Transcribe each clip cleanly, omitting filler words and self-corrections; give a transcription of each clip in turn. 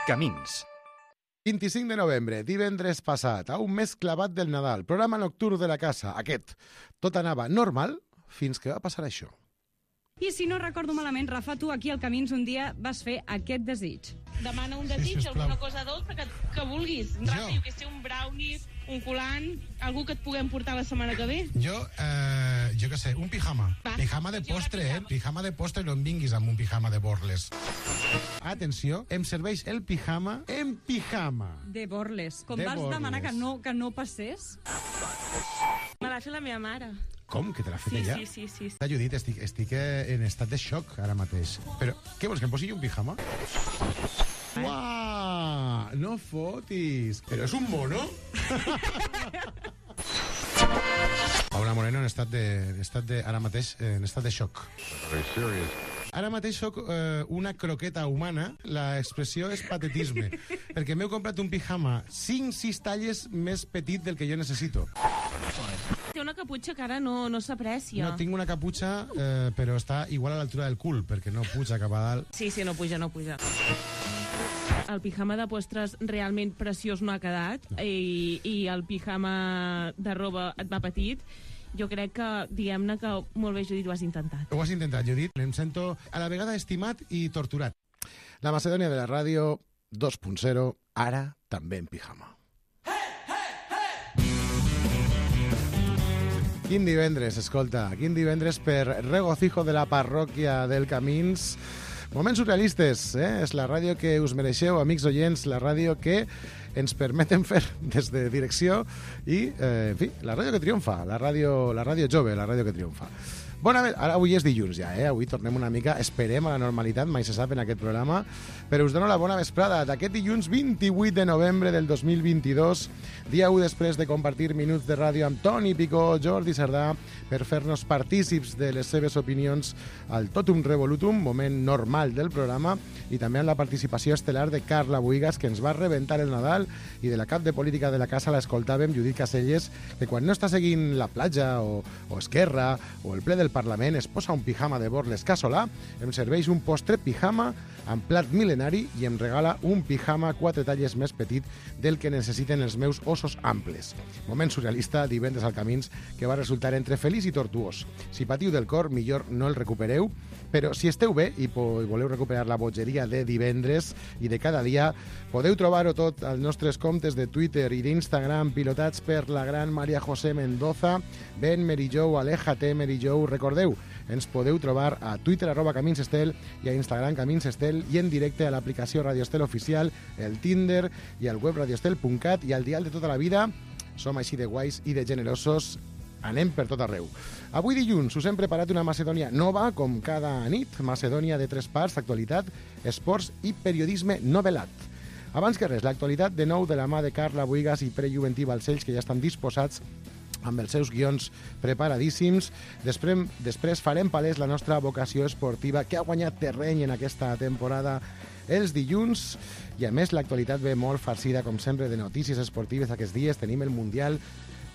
Camins. 25 de novembre, divendres passat, a un mes clavat del Nadal, programa nocturn de la casa, aquest. Tot anava normal fins que va passar això. I si no recordo malament, Rafa, tu aquí al Camins un dia vas fer aquest desig. Demana un desig, alguna cosa dolça que vulguis. Rafa, jo que sé, un brownie, un colant, algú que et puguem portar la setmana que ve. Jo què sé, un pijama. Va. Pijama de postre, Pijama de postre, no em vinguis amb un pijama de borles. Atenció, em serveix el pijama en pijama. De Borles. Com De vas Borles. demanar que no passés? Me l'ha fet la meva mare. Com, que te l'ha fet ella? Sí. Judit, estic en estat de xoc ara mateix. Però, què vols, que em posi jo un pijama? Uah, no fotis. Però és un mono? Paula Moreno en estat de ara mateix en estat de xoc. Ara mateix soc una croqueta humana, l'expressió és patetisme, perquè m'heu comprat un pijama 5-6 talles més petit del que jo necessito. Té una caputxa que ara no s'aprecia. No, tinc una caputxa, però està igual a l'altura del cul, perquè no puja cap a dalt. Sí, no puja. El pijama de postres realment preciós no ha quedat, i el pijama de roba et va petit. Jo crec que, diguem-ne que molt bé, Judit, ho has intentat. Ho has intentat, Judit. Em sento a la vegada estimat i torturat. La Macedònia de la ràdio 2.0, ara també en pijama. Quin divendres, escolta, quin divendres per regocijo de la parròquia del Camins. Moments surrealistes, És la ràdio que us mereixeu, amics oients, la ràdio que ens permeten fer des de direcció i, en fi, la ràdio que triomfa, la ràdio jove, la ràdio que triomfa. Ara avui és dilluns ja, Avui tornem una mica, esperem a la normalitat, mai se sap en aquest programa, però us dono la bona vesprada d'aquest dilluns 28 de novembre del 2022, dia 1 després de compartir minuts de ràdio amb Toni Picó, Jordi Sardà, per fer-nos partícips de les seves opinions al Totum Revolutum, moment normal del programa, i també amb la participació estel·lar de Carla Buigas, que ens va rebentar el Nadal, i de la cap de política de la casa l'escoltàvem, Judit Caselles, que quan no està seguint la platja o Esquerra o el ple del Parlament es posa un pijama de Borles casolà, em serveix un postre pijama amb plat mil·lenari i em regala un pijama 4 talles més petit del que necessiten els meus ossos amples. Moment surrealista, divendres al Camins, que va resultar entre feliç i tortuós. Si patiu del cor, millor no el recupereu, però si esteu bé i voleu recuperar la bogeria de divendres i de cada dia, podeu trobar-ho tot als nostres comptes de Twitter i d'Instagram, pilotats per la gran Maria José Mendoza, Ben Merijou, Aléjate Merijou. Recordeu, ens podeu trobar a Twitter @CaminsEstel i a Instagram CaminsEstel i en directe a l'aplicació Radio Estel Oficial, el Tinder i al web radioestel.cat i al dial de tota la vida. Som així de guais i de generosos. Anem per tot arreu. Avui dilluns us hem preparat una Macedònia nova, com cada nit. Macedònia de 3 parts, actualitat, esports i periodisme novel·lat. Abans que res, l'actualitat de nou de la mà de Carla Buigas i Prejuventí Balcells, que ja estan disposats amb els seus guions preparadíssims. Després farem palès la nostra vocació esportiva, que ha guanyat terreny en aquesta temporada els dilluns, i a més l'actualitat ve molt farcida, com sempre, de notícies esportives. Aquests dies tenim el Mundial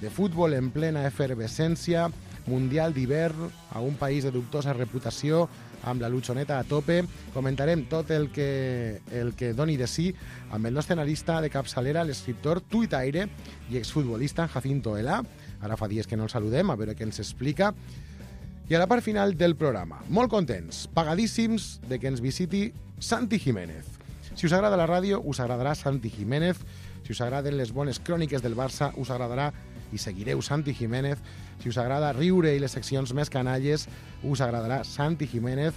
de Futbol en plena efervescència, Mundial d'hivern a un país de dubtosa reputació, amb la luchoneta a tope. Comentarem tot el que doni de sí amb el nostre analista de capçalera, l'escriptor, tuitaire i exfutbolista Jacinto Elà. Ara fa dies que no el saludem, a veure què ens explica. I a la part final del programa, molt contents, pagadíssims de que ens visiti Santi Jiménez. Si us agrada la ràdio, us agradarà Santi Jiménez. Si us agraden les bones cròniques del Barça, us agradarà i seguireu Santi Jiménez. Si us agrada riure i les seccions més canalles, us agradarà Santi Jiménez.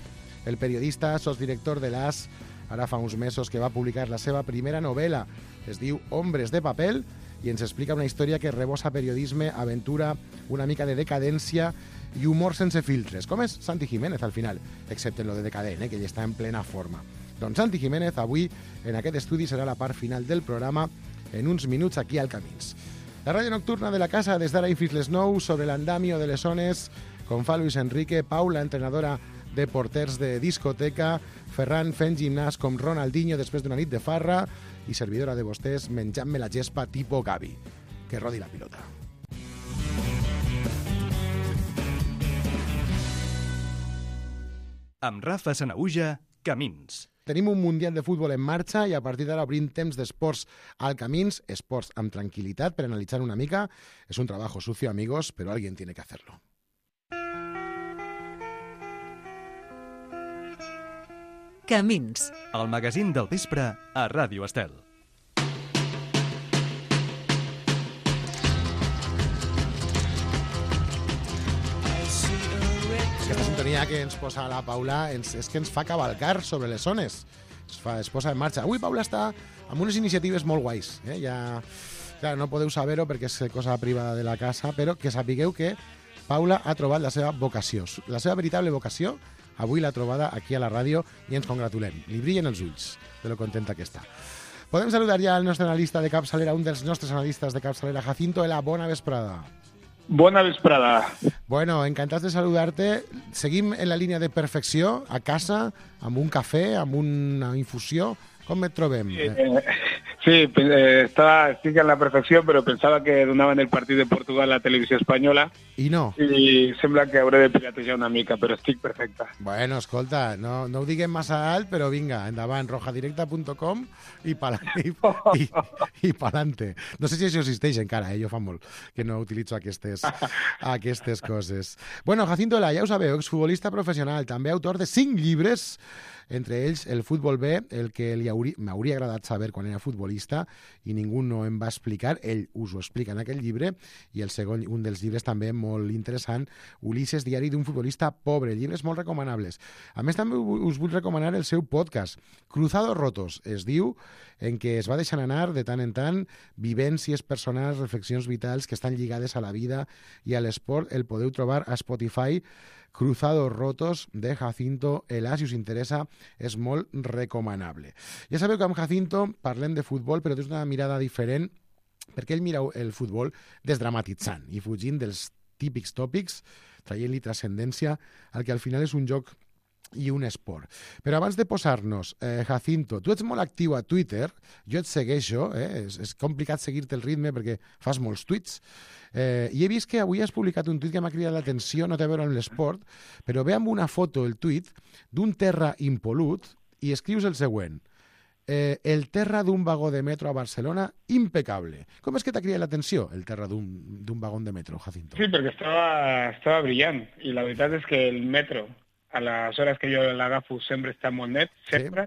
El periodista, sotsdirector de l'AS, ara fa uns mesos que va publicar la seva primera novel·la, es diu Hombres de papel, i ens explica una història que rebossa periodisme, aventura, una mica de decadència i humor sense filtres. Com és Santi Jiménez al final, excepte en lo de decadent, que ell està en plena forma. Doncs Santi Jiménez avui en aquest estudi serà la part final del programa en uns minuts aquí al Camins. La ràdio nocturna de la casa des d'ara i fins les 9 sobre l'andamio de les zones, com fa Luis Enrique, Paula, entrenadora de porters de discoteca, Ferran fent gimnàs com Ronaldinho després d'una nit de farra i servidora de vostès menjant-me la gespa tipo Gavi. Que rodi la pilota. Amb Rafa Sanaüja, Camins. tenim un Mundial de Futbol en marxa i a partir d'ara obrim temps d'esports al Camins, esports amb tranquil·litat per analitzar una mica. És un trabajo sucio, amigos, pero alguien tiene que hacerlo. Camins. El magazín del vespre a Ràdio Estel. Aquesta sintonia que ens posa la Paula és que ens fa cavalcar sobre les zones. Es posa en marxa. Avui Paula està amb unes iniciatives molt guais. Ja, clar, no podeu saber-ho perquè és cosa privada de la casa, però que sapigueu que Paula ha trobat la seva vocació. La seva veritable vocació avui l'ha trobada aquí a la ràdio i ens congratulem. Li brillen els ulls de lo contenta que està. Podem saludar ja al nostre analista de capçalera, un dels nostres analistes de capçalera, Jacinto Ela. Bona vesprada. Bona vesprada. Bueno, encantats de saludar-te. Seguim en la línia de perfecció, a casa, amb un cafè, amb una infusió. Com et trobem? Sí, estic en la perfecció, però pensava que donaven el partit de Portugal a la televisió espanyola. I no. I sembla que hauré de piratejar una mica, però estic perfecta. Bueno, escolta, no ho diguem massa alt, però vinga, endavant, rojadirecta.com i pa'lante. No sé si això existeix encara, jo fa molt que no utilitzo aquestes coses. Bueno, Jacinto Ela, ja ho sabeu, exfutbolista professional, també autor de 5 llibres, entre ells el Futbol B, el que m'hauria agradat saber quan era futbolista i ningú no em va explicar, ell us ho explica en aquell llibre, i el segon, un dels llibres també molt interessant, Ulisses, diari d'un futbolista pobre, llibres molt recomanables. A més, també us vull recomanar el seu podcast, Cruzados Rotos, es diu, en què es va deixant anar de tant en tant vivències personals, reflexions vitals que estan lligades a la vida i a l'esport. El podeu trobar a Spotify, Cruzados Rotos, de Jacinto Ela. Si us interessa, és molt recomanable. Ja sabeu que amb Jacinto parlem de futbol, però des d'una mirada diferent, perquè ell mira el futbol desdramatitzant i fugint dels típics tòpics, traient-li transcendència al que al final és un joc i un esport. Però abans de posar-nos, Jacinto, tu ets molt actiu a Twitter, jo et segueixo, és complicat seguir-te el ritme perquè fas molts tuits, i he vist que avui has publicat un tuit que m'ha cridat l'atenció, no té a veure amb l'esport, però ve amb una foto, el tuit, d'un terra impolut, i escrius el següent: el terra d'un vagó de metro a Barcelona, impecable. Com és que t'ha cridat l'atenció el terra d'un vagó de metro, Jacinto? Sí, perquè estava brillant, i la veritat és que el metro, a les hores que jo l'agafo, sempre està molt net, sempre.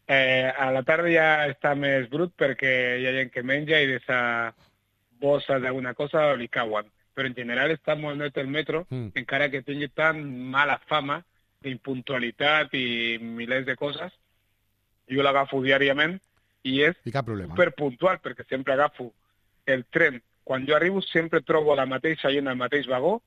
Sí. A la tarda ja està més brut perquè hi ha gent que menja i de esa bossa d'alguna cosa li cauen. Però en general està molt net el metro, encara que tingui tan mala fama d'impuntualitat i milers de coses. Jo l'agafo diàriament i és superpuntual perquè sempre agafo el tren. Quan jo arribo sempre trobo la mateixa gent al mateix vagó,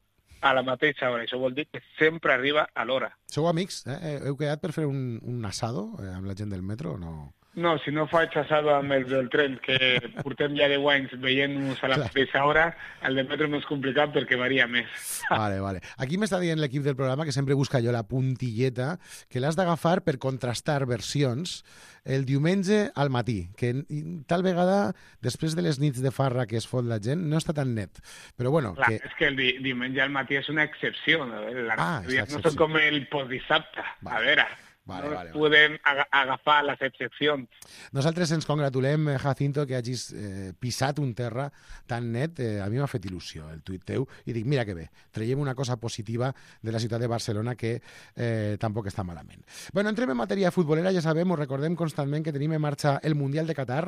a la mateixa hora. Això vol dir que sempre arriba a l'hora. Sou amics? Heu quedat per fer un asado amb la gent del metro o no? No, si no faig asado amb els del tren, que portem ja 10 anys veient-nos a la mateixa hora, el del metro no és complicat perquè varia més. Vale. Aquí m'està dient l'equip del programa que sempre busca jo la puntilleta, que l'has d'agafar per contrastar versions el diumenge al matí, que tal vegada, després de les nits de farra que es fot la gent, no està tan net. Però bueno... Clar, és que el diumenge al matí és una excepció, no? No són com el postdissabte. A veure... Podem agafar les excepcions. Nosaltres ens congratulem, Jacinto, que hagis pisat un terra tan net. A mi m'ha fet il·lusió el tuit teu i dic, mira que bé, traiem una cosa positiva de la ciutat de Barcelona que tampoc està malament. Bueno, entrem en matèria futbolera, ja sabem, ho recordem constantment que tenim en marxa el Mundial de Qatar.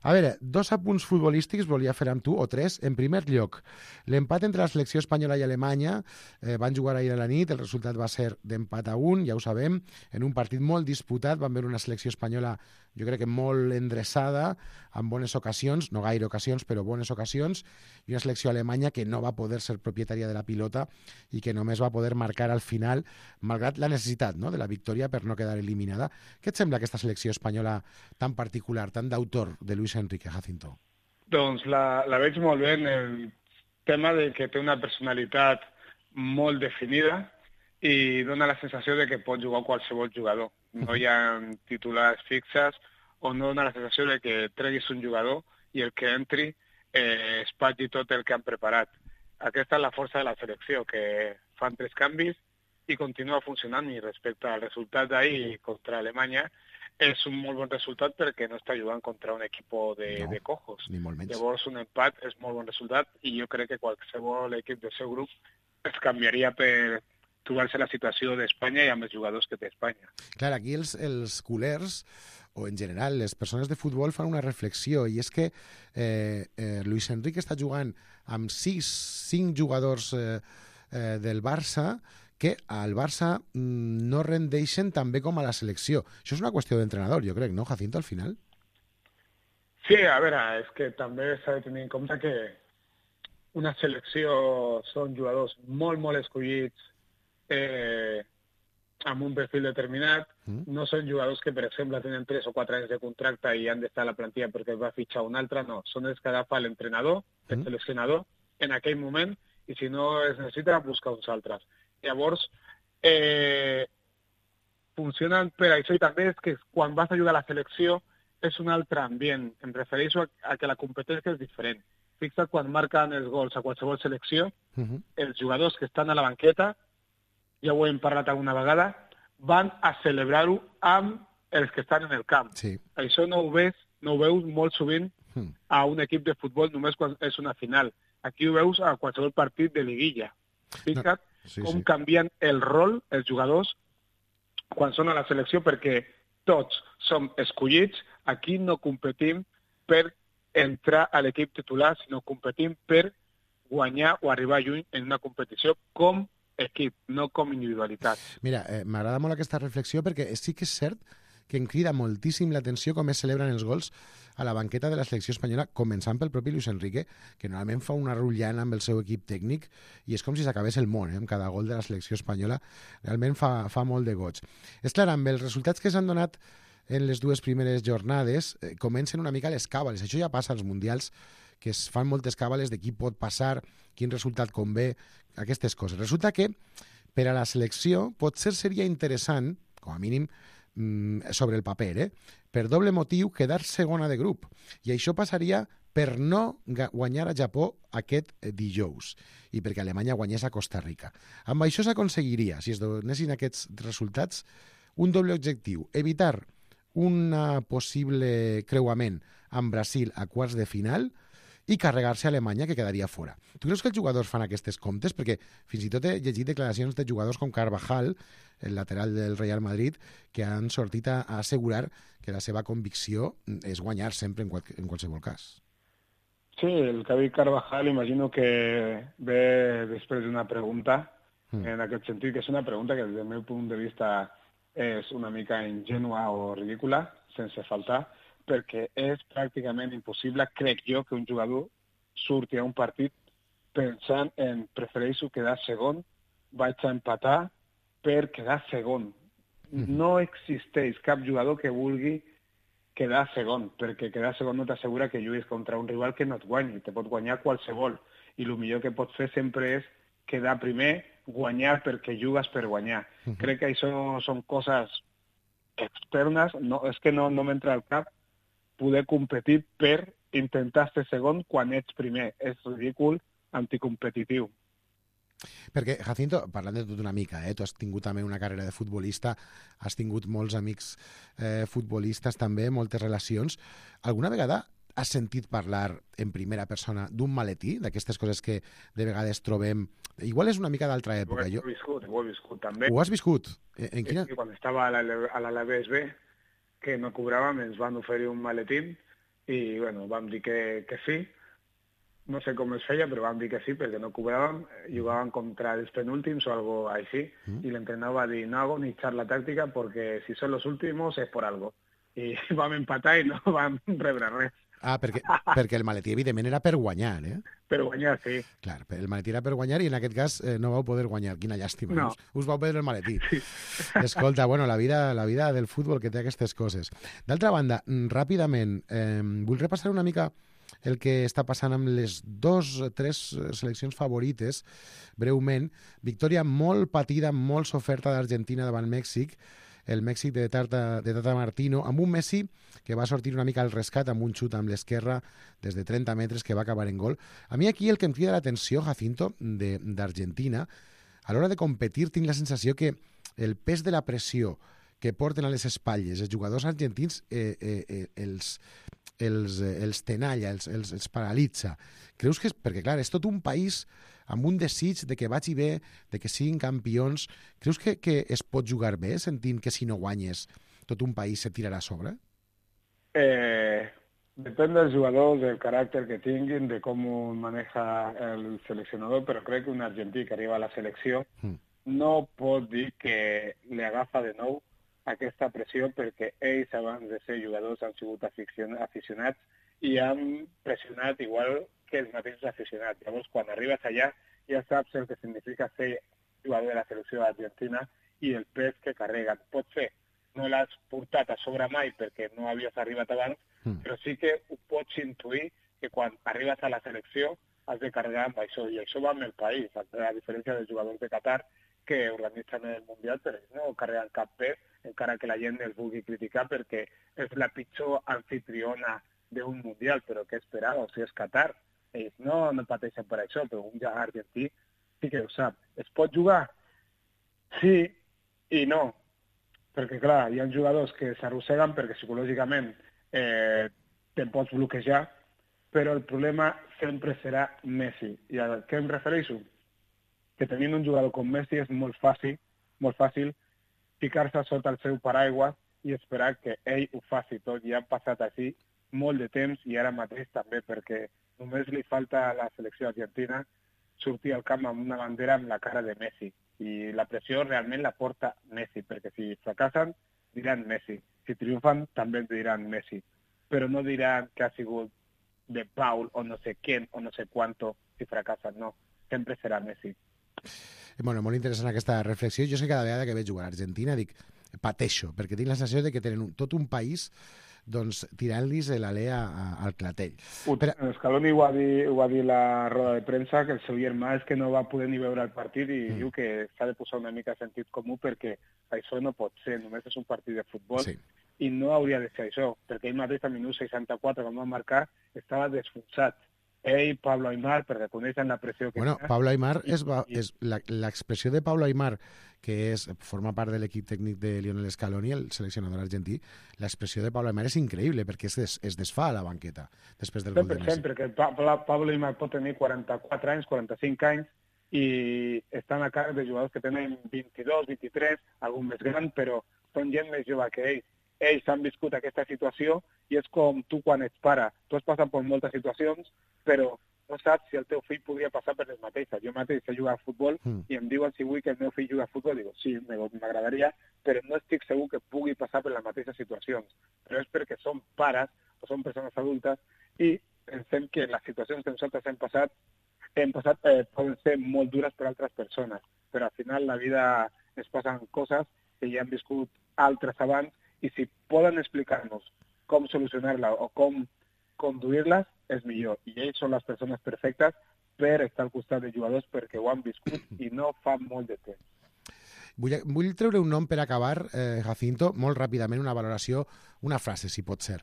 A veure, 2 apunts futbolístics volia fer amb tu, o 3. En primer lloc, l'empat entre la selecció espanyola i Alemanya, van jugar ahir a la nit, el resultat va ser d'empat a 1, ja ho sabem, en un partit molt disputat, van veure una selecció espanyola, jo crec que molt endreçada, amb bones ocasions, no gaire ocasions, però bones ocasions, i una selecció alemanya que no va poder ser propietària de la pilota i que només va poder marcar al final, malgrat la necessitat, no?, de la victòria per no quedar eliminada. Què et sembla aquesta selecció espanyola tan particular, tan d'autor de Luis Enrique, Jacinto? Doncs la veig molt bé en el tema de que té una personalitat molt definida i dona la sensació de que pot jugar qualsevol jugador. No hi ha titulars fixes o no dona la sensació de que treguis un jugador i el que entri espatlli tot el que han preparat. Aquesta és la força de la selecció, que fan 3 canvis i continua funcionant, i respecte al resultat d'ahir contra Alemanya, és un molt bon resultat perquè no està jugant contra un equip de cojos. Ni molt menys. Llavors un empat és molt bon resultat i jo crec que qualsevol equip del seu grup es canviaria per trobar-se la situació d'Espanya i amb els jugadors que té Espanya. Clar, aquí els culers, o en general les persones de futbol, fan una reflexió, i és que Luis Enrique està jugant amb 5 jugadors del Barça que al Barça no rendeixen tan bé com a la selecció. Això és una qüestió d'entrenador, jo crec, no, Jacinto, al final? Sí, a veure, és que també s'ha de tenir en compte que una selecció són jugadors molt, molt escollits amb un perfil determinat. No són jugadors que, per exemple, tenen 3 o 4 anys de contracte i han d'estar a la plantilla perquè es va fitxar un altre. No, són els que agafa l'entrenador, el seleccionador, en aquell moment, i si no es necessita, buscar uns altres. Llavors, funcionen per això, i també és que quan vas a jugar a la selecció és un altre ambient. Em refereixo a que la competència és diferent. Fixa't quan marquen els gols a qualsevol selecció, els jugadors que estan a la banqueta, ja ho hem parlat alguna vegada, van a celebrar-ho amb els que estan en el camp. Sí. Això no ho veus molt sovint a un equip de futbol només quan és una final. Aquí ho veus a qualsevol partit de liguilla. Fixa't com canvien el rol els jugadors quan són a la selecció, perquè tots som escollits. Aquí no competim per entrar a l'equip titular, sinó competim per guanyar o arribar lluny en una competició com equip, no com individualitat. Mira, m'agrada molt aquesta reflexió perquè sí que és cert que em crida moltíssim l'atenció com es celebren els gols a la banqueta de la selecció espanyola, començant pel propi Luis Enrique, que normalment fa una rotllana amb el seu equip tècnic i és com si s'acabés el món, amb cada gol de la selecció espanyola. Realment fa molt de goig. És clar, amb els resultats que s'han donat en les 2 primeres jornades, comencen una mica les càbales. Això ja passa als mundials, que es fan moltes càbales de qui pot passar, quin resultat convé, aquestes coses. Resulta que per a la selecció potser seria interessant, com a mínim sobre el paper, per doble motiu, quedar segona de grup. I això passaria per no guanyar a Japó aquest dijous i perquè Alemanya guanyés a Costa Rica. Amb això s'aconseguiria, si es donessin aquests resultats, un doble objectiu: evitar un possible creuament amb Brasil a quarts de final i carregar-se a Alemanya, que quedaria fora. Tu creus que els jugadors fan aquestes comptes? Perquè fins i tot he llegit declaracions de jugadors com Carvajal, el lateral del Real Madrid, que han sortit a assegurar que la seva convicció és guanyar sempre en qualsevol cas. Sí, el que ha dit Carvajal imagino que ve després d'una pregunta, en aquest sentit, que és una pregunta que des del meu punt de vista és una mica ingènua o ridícula, sense faltar, perquè és pràcticament impossible, crec jo, que un jugador surti a un partit pensant en prefereixo quedar segon, vaig a empatar per quedar segon. No existeix cap jugador que vulgui quedar segon, perquè quedar segon no t'assegura que juguis contra un rival que no et guanyi, te pot guanyar qualsevol, i el millor que pots fer sempre és quedar primer, guanyar perquè jugues per guanyar. Crec que això són coses externes, és que no m'entra al cap poder competir per intentar ser segon quan ets primer. És ridícul, anticompetitiu. Perquè, Jacinto, parlant de tot una mica, tu has tingut també una carrera de futbolista, has tingut molts amics futbolistes també, moltes relacions. Alguna vegada has sentit parlar en primera persona d'un maletí, d'aquestes coses que de vegades trobem? Igual és una mica d'altra època. Ho he viscut també. Ho has viscut? En quina? Quan estava a l'Alaves B, que no cobràvem, ens van oferir un maletín i bueno, vam dir que sí. No sé com es feia, però vam dir que sí, perquè no cobràvem, jugàvem contra els penúltims o algo així, i l'entrenador va dir, no hago ni charla táctica porque si son los últimos es por algo. I vam empatar i no vam rebre res. Ah, perquè el maletí, evidentment, era per guanyar, Per guanyar, sí. Clar, el maletí era per guanyar i en aquest cas no vau poder guanyar. Quina llàstima. No. Us vau perdre el maletí. Sí. Escolta, bueno, la vida del futbol que té aquestes coses. D'altra banda, ràpidament, vull repassar una mica el que està passant amb les 2 o 3 seleccions favorites, breument. Victòria molt patida, molt soferta d'Argentina davant Mèxic, el Mèxic de Tata Martino, amb un Messi que va sortir una mica al rescat amb un xut amb l'esquerra des de 30 metres que va acabar en gol. A mi aquí el que em crida l'atenció, Jacinto, d'Argentina, a l'hora de competir tinc la sensació que el pes de la pressió que porten a les espatlles els jugadors argentins els tenalla, els paralitza. Creus que... Perquè, clar, és tot un país amb un desig de que vagi bé, de que siguin campions. Creus que es pot jugar bé sentint que si no guanyes tot un país se tirarà a sobre? Depèn dels jugadors, del caràcter que tinguin, de com ho maneja el seleccionador, però crec que un argentí que arriba a la selecció no pot dir que li agafa de nou aquesta pressió perquè ells abans de ser jugadors han sigut aficionats i han pressionat igual que els mateixos aficionats. Llavors, quan arribes allà ja saps el que significa ser jugador de la selecció argentina i el pes que carreguen. Potser no l'has portat a sobre mai perquè no havies arribat abans, però sí que ho pots intuir que quan arribes a la selecció has de carregar amb això, i això va amb el país, a diferència dels jugadors de Qatar que organitzen el Mundial, però ells no carreguen cap pes, encara que la gent els vulgui criticar perquè és la pitjor anfitriona d'un Mundial, però què esperava? O sigui, és Qatar. Ells no pateixen per això, però un argentí sí que ho sap. Es pot jugar? Sí i no. Perquè, clar, hi ha jugadors que s'arrosseguen perquè psicològicament te'n pots bloquejar, però el problema sempre serà Messi. I a què em refereixo? Que tenint un jugador com Messi és molt fàcil ficar-se sota el seu paraigua i esperar que ell ho faci tot. I han passat així molt de temps i ara mateix també, perquè només li falta a la selecció argentina sortir al camp amb una bandera amb la cara de Messi. I la pressió realment la porta Messi, perquè si fracassen diran Messi, si triomfen també diran Messi, però no diran que ha sigut de Paul o no sé quién o no sé cuánto si fracassen, no, sempre serà Messi. Bueno, molt interessant aquesta reflexió. Jo sé que cada vegada que veig jugar a Argentina dic, pateixo, perquè tinc la sensació de que tenen tot un país doncs tirant-los l'alè al clatell. Scaloni ho va dir la roda de premsa, que el seu germà és que no va poder ni veure el partit i diu que s'ha de posar una mica de sentit comú perquè això no pot ser, només és un partit de futbol i no hauria de ser això, perquè ell mateix al minut 64, quan va marcar, estava desfonsat. Ell, Pablo Aimar, perquè coneixen la pressió que Bueno, Pablo Aimar és l'expressió de Pablo Aimar, que forma part de l'equip tècnic de Lionel Scaloni, el seleccionador argentí. L'expressió de Pablo Aimar és increïble, perquè es desfà a la banqueta després del gol de Messi. Sempre, perquè Pablo Aimar pot tenir 44 anys, 45 anys, i estan a càrrec de jugadors que tenen 22, 23, algun més gran, però són gent més jove que ells. Ells han viscut aquesta situació i és com tu quan ets pare. Tu has passat per moltes situacions, però no saps si el teu fill podria passar per les mateixes. Jo mateix sé jugar a futbol i em diuen si vull que el meu fill jugui a futbol. Dic, sí, m'agradaria, però no estic segur que pugui passar per les mateixes situacions. Però és perquè som pares o som persones adultes i pensem que les situacions que nosaltres hem passat poden ser molt dures per altres persones. Però al final la vida es passen coses que ja han viscut altres abans i si poden explicar-nos com solucionar-la o com conduir-les, és millor. I ells són les persones perfectes per estar al costat de jugadors perquè ho han viscut i no fa molt de temps. Vull treure un nom per acabar, Jacinto, molt ràpidament, una valoració, una frase, si pot ser.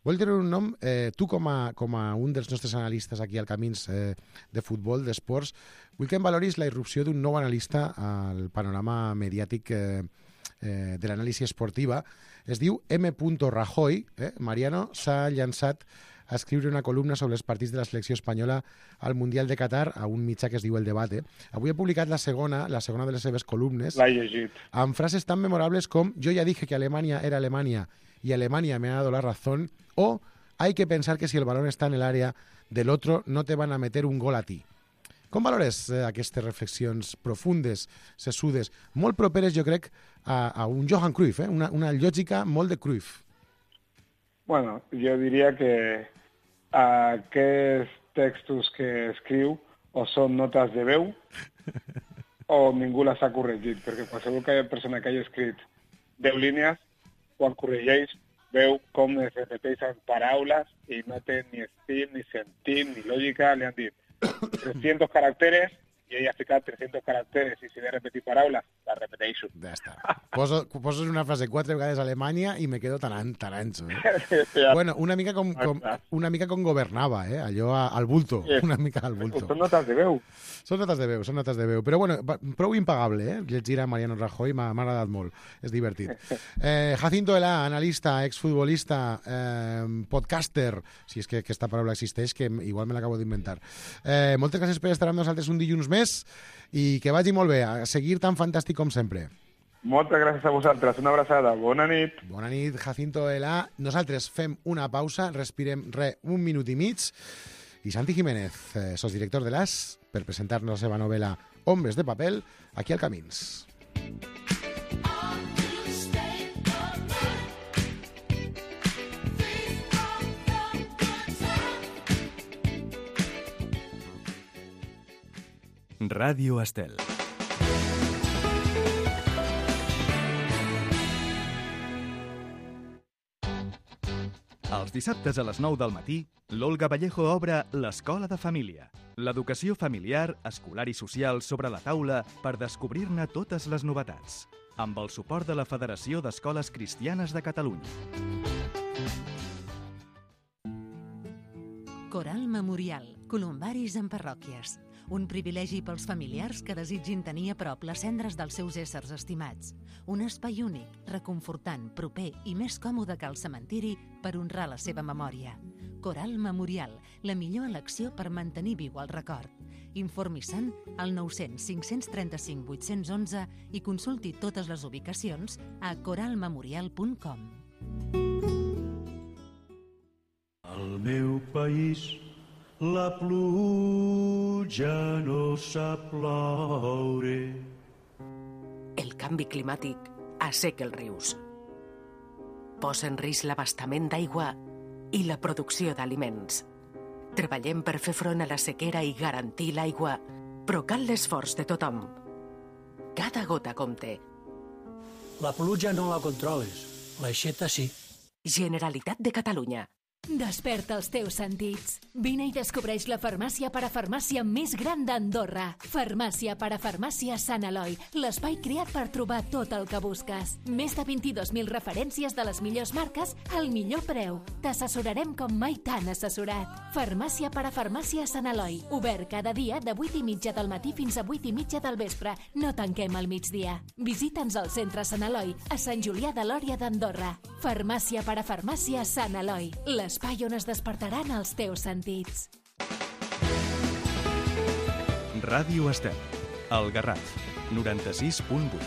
Vull treure un nom, tu com a un dels nostres analistes aquí al Camins de futbol, d'esports, vull que em valoris la irrupció d'un nou analista al panorama mediàtic de l'anàlisi esportiva. Es diu M. Rajoy. Mariano s'ha llançat a escriure una columna sobre els partits de la selecció espanyola al Mundial de Qatar a un mitjà que es diu El Debate. Avui ha publicat la segona de les seves columnes, amb frases tan memorables com «Yo ya dije que Alemania era Alemania y Alemania me ha dado la razón» o «Hay que pensar que si el balón está en el área del otro no te van a meter un gol a ti». Com valores aquestes reflexions profundes, sessudes, molt properes, jo crec, a un Johan Cruyff, una lògica molt de Cruyff? Bueno, jo diria que aquests textos que escriu o són notes de veu o ningú les ha corregit, perquè qualsevol persona que hagi escrit 10 línies, quan corregeix, veu com es repeteixen paraules i no té ni estil, ni sentit, ni lògica. Li han dit 300 caràcteres jo ja he ficat 300 caràcters i si he de repetir paraules, la repeteixo. Ja està. Poses una frase 4 vegades a Alemanya i me quedo tan ancho. Bueno, una mica com governava, allò al bulto, una mica al bulto. Són notes de veu. Són notes de veu. Però bueno, prou impagable, llegir a Mariano Rajoy m'ha agradat molt, és divertit. Jacinto Elá, analista, exfutbolista, podcaster, si és que aquesta paraula existeix, que igual me l'acabo d'inventar. Moltes gràcies per estar amb nosaltres un dilluns més i que vagi molt bé, a seguir tan fantàstic com sempre. Moltes gràcies a vosaltres, una abraçada, bona nit. Bona nit, Jacinto Elá. Nosaltres fem una pausa, respirem un minut i mig, i Santi Jiménez, sosdirector de l'AS, per presentar-nos la seva novel·la Hombres de Papel, aquí al Camins. Ràdio Estel. Els dissabtes a les 9 del matí, l'Olga Vallejo obre l'Escola de Família. L'educació familiar, escolar i social sobre la taula per descobrir-ne totes les novetats. Amb el suport de la Federació d'Escoles Cristianes de Catalunya. Coral Memorial. Columbaris en parròquies. Un privilegi pels familiars que desitgin tenir a prop les cendres dels seus éssers estimats. Un espai únic, reconfortant, proper i més còmode que el cementiri per honrar la seva memòria. Coral Memorial, la millor elecció per mantenir viu el record. Informi-se'n al 900 535 811 i consulti totes les ubicacions a coralmemorial.com. Al meu país la pluja no sap ploure. El canvi climàtic asseca els rius. Posa en risc l'abastament d'aigua i la producció d'aliments. Treballem per fer front a la sequera i garantir l'aigua, però cal l'esforç de tothom. Cada gota compte. La pluja no la controles, l'aixeta sí. Generalitat de Catalunya. Desperta els teus sentits. Vine i descobreix la farmàcia parafarmàcia més gran d'Andorra. Farmàcia parafarmàcia Sant Eloi, l'espai creat per trobar tot el que busques. Més de 22.000 referències de les millors marques al millor preu. T'assessorarem com mai t'han assessorat. Farmàcia parafarmàcia Sant Eloi, obert cada dia de 8:30 del matí fins a 8:30 del vespre. No tanquem al migdia. Visita'ns al centre Sant Eloi, a Sant Julià de Lòria d'Andorra. Farmàcia parafarmàcia Sant Eloi, l'espai on es despertaran els teus sentits. Ràdio Estel, el Garraf, 96.8.